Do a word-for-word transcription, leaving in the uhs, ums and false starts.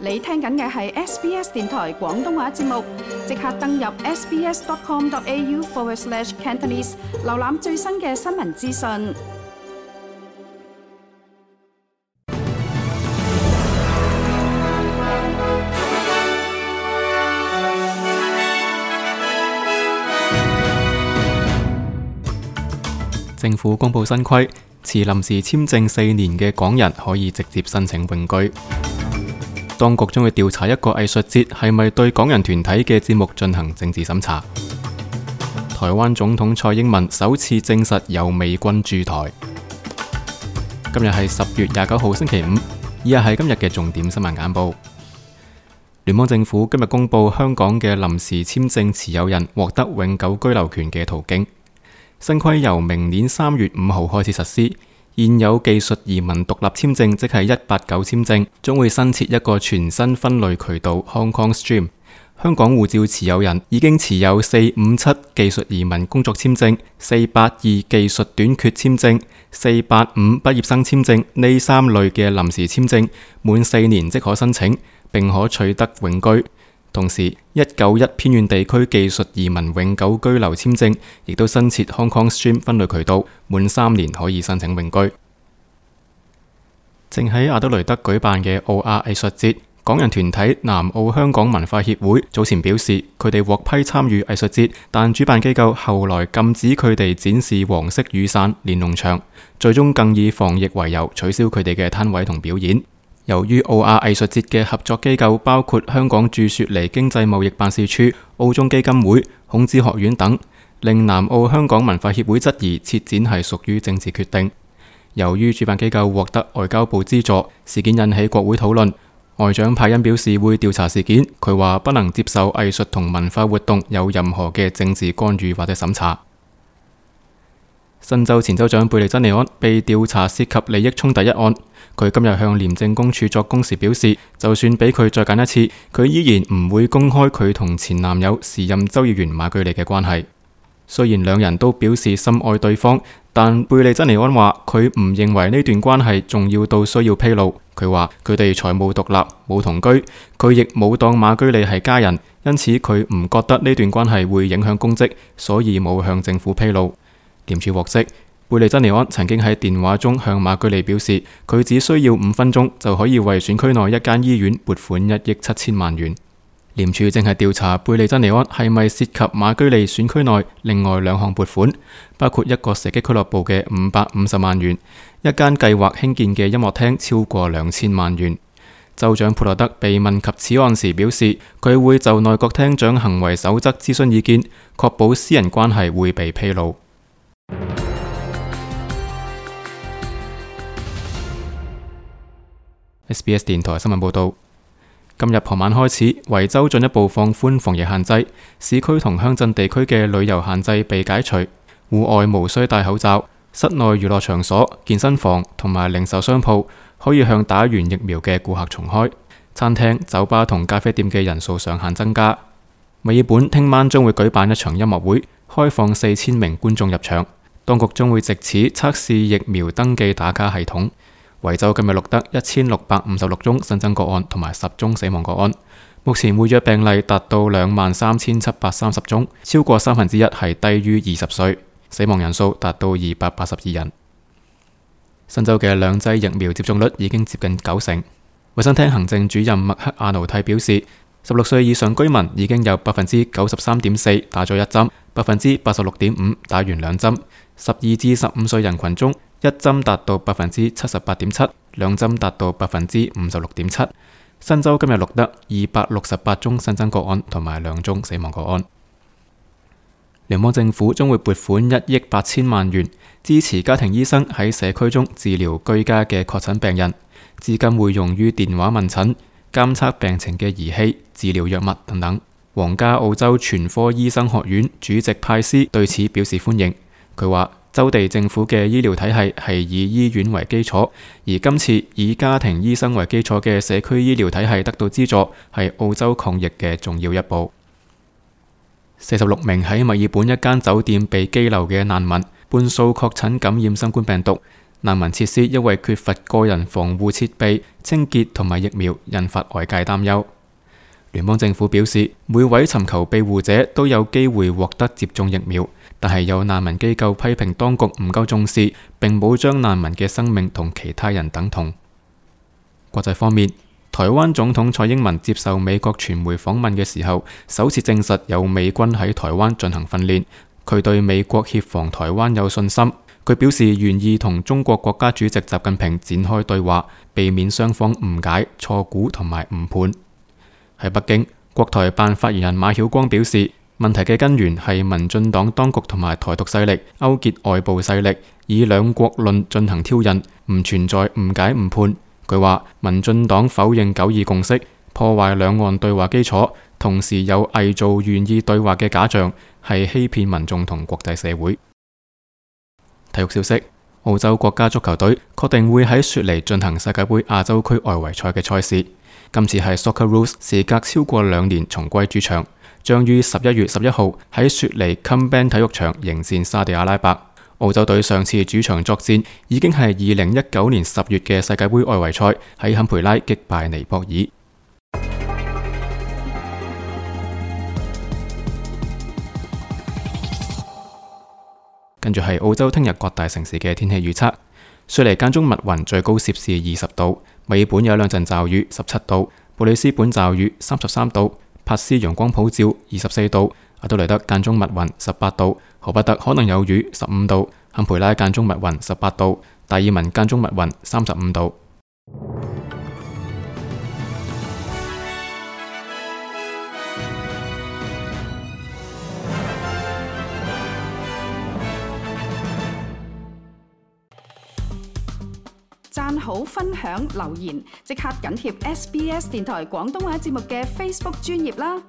你聽緊嘅係 S B S 電台廣東話節目，即刻登入 sbs.com.au forward slash Cantonese， 瀏覽最新嘅新聞資訊。政府公布新規，持臨時簽證四年嘅港人可以直接申請永居。當局將會調查一個藝術節係咪對港人團體嘅節目進行政治審查。台灣總統蔡英文首次證實有美軍駐台。今日係十月廿九號星期五，以下係今日嘅重點新聞簡報。聯邦政府今日公布香港嘅臨時簽證持有人獲得永久居留權嘅途徑。新規由明年三月五號開始實施。現有技術移民獨立簽證，即係一八九簽證，將會新設一個全新分類渠道 Hong Kong Stream。香港護照持有人已經持有四五七技術移民工作簽證、四八二技術短缺簽證、四八五畢業生簽證呢三類嘅臨時簽證，滿四年即可申請，並可取得永居。同時，一九一偏遠地區技術移民永久居留簽證亦都新設 Hong Kong Stream 分類渠道，滿三年可以申請永居。正喺阿德雷德舉辦嘅澳亞藝術節，港人團體南澳香港文化協會早前表示，佢哋獲批參與藝術節，但主辦機構後來禁止佢哋展示黃色雨傘、連儂牆，最終更以防疫為由取消佢哋嘅攤位同表演。由於澳亞藝術節嘅合作機構包括香港駐雪梨經濟貿易辦事處、澳中基金會、孔子學院等，令南澳香港文化協會質疑撤展係屬於政治決定。由於主辦機構獲得外交部資助，事件引起國會討論。外長派恩表示會調查事件，佢話不能接受藝術同文化活動有任何嘅政治干預或者審查。新州前州長貝利珍尼安被調查涉及利益衝突一案，佢今日向廉政公署作供時表示，就算俾佢再揀一次，佢依然唔會公開佢同前男友時任州議員馬居利嘅關係。雖然兩人都表示深愛對方，但貝利珍尼安話佢唔認為呢段關係重要到需要披露。佢話佢哋財務獨立，冇同居，佢亦冇當馬居利係家人，因此佢唔覺得呢段關係會影響公職，所以冇向政府披露。廉署獲悉，貝利珍尼安曾經喺電話中向馬居利表示，佢只需要五分鐘就可以為選區內一間醫院撥款一億七千萬元。廉署正係調查貝利珍尼安係咪涉及馬居利選區內另外兩項撥款，包括一個射擊俱樂部嘅五百五十萬元，一間計劃興建嘅音樂廳超過兩千萬元。州長普羅德被問及此案時表示，佢會就內閣廳長行為守則諮詢意見，確保私人關係會被披露。S B S 電台新聞報道，今日傍晚開始，維州進一步放寬防疫限制，市區同鄉鎮地區嘅旅遊限制被解除，戶外無需戴口罩，室內娛樂場所、健身房同埋零售商鋪可以向打完疫苗嘅顧客重開，餐廳、酒吧同咖啡店嘅人數上限增加。墨爾本聽晚將會舉辦一場音樂會，開放四千名觀眾入場，當局將會藉此測試疫苗登記打卡系統。維州今日錄得一千六百五十六宗新增個案同埋十宗死亡個案，目前活躍病例達到兩萬三千七百三十宗，超過三分之一係低於二十歲，死亡人數達到二百八十二人。新州嘅兩劑疫苗接種率已經接近九成。衛生廳行政主任麥克阿奴蒂表示，十六歲以上居民已經有百分之九十三點四打咗一針，百分之八十六點五打完兩針。十二至十五歲人群中，一針達到百分之七十八點七，兩針達到百分之五十六點七。新州今日錄得二百六十八宗新增個案同埋兩宗死亡個案。聯邦政府將會撥款一億八千萬元支持家庭醫生喺社區中治療居家嘅確診病人，資金會用於電話問診、監測病情嘅儀器、治療藥物等等。皇家澳洲全科醫生學院主席派斯對此表示歡迎。佢話，州地政府嘅醫療體系係以醫院為基礎，而今次以家庭醫生為基礎嘅社區醫療體系得到資助，係澳洲抗疫嘅重要一步。四十六名喺墨爾本一間酒店被羈留嘅難民，半數確診感染新冠病毒。難民設施因為缺乏個人防護設備、清潔同埋疫苗，引發外界擔憂。聯邦政府表示，每位尋求庇護者都有機會獲得接種疫苗，但係有難民機構批評當局唔夠重視，並冇將難民嘅生命同其他人等同。國際方面，台灣總統蔡英文接受美國傳媒訪問嘅時候，首次證實有美軍喺台灣進行訓練。佢對美國協防台灣有信心。佢表示願意同中國國家主席習近平展開對話，避免雙方誤解、錯估同埋誤判。喺北京，國台辦發言人馬曉光表示，問題嘅根源係民進黨當局同埋台獨勢力勾結外部勢力，以兩國論進行挑釁，唔存在誤解誤判。佢話民進黨否認九二共識，破壞兩岸對話基礎，同時有偽造願意對話嘅假象，係欺騙民眾同國際社會。體育消息：澳洲國家足球隊確定會喺雪梨進行世界盃亞洲區外圍賽嘅賽事。今次係 Socceroos 時隔超過兩年重歸主場，將於十一月十一號喺雪梨 CommBank 體育場迎戰沙地阿拉伯。澳洲隊上次主場作戰已經係二零一九年十月嘅世界盃外圍賽，喺坎培拉擊敗尼泊爾。跟住係澳洲聽日各大城市嘅天氣預測：雪梨間中密雲，最高攝氏二十度；墨爾本有兩陣驟雨，十七度；布里斯本驟雨，三十三度；珀斯陽光普照，二十四度；阿德萊德間中密雲，十八度；荷伯特可能有雨，十五度；坎培拉間中密雲，十八度；達爾文間中密雲，三十五度。讚好、分享、留言，即刻緊貼 S B S 電台廣東話節目嘅 Facebook 專頁啦！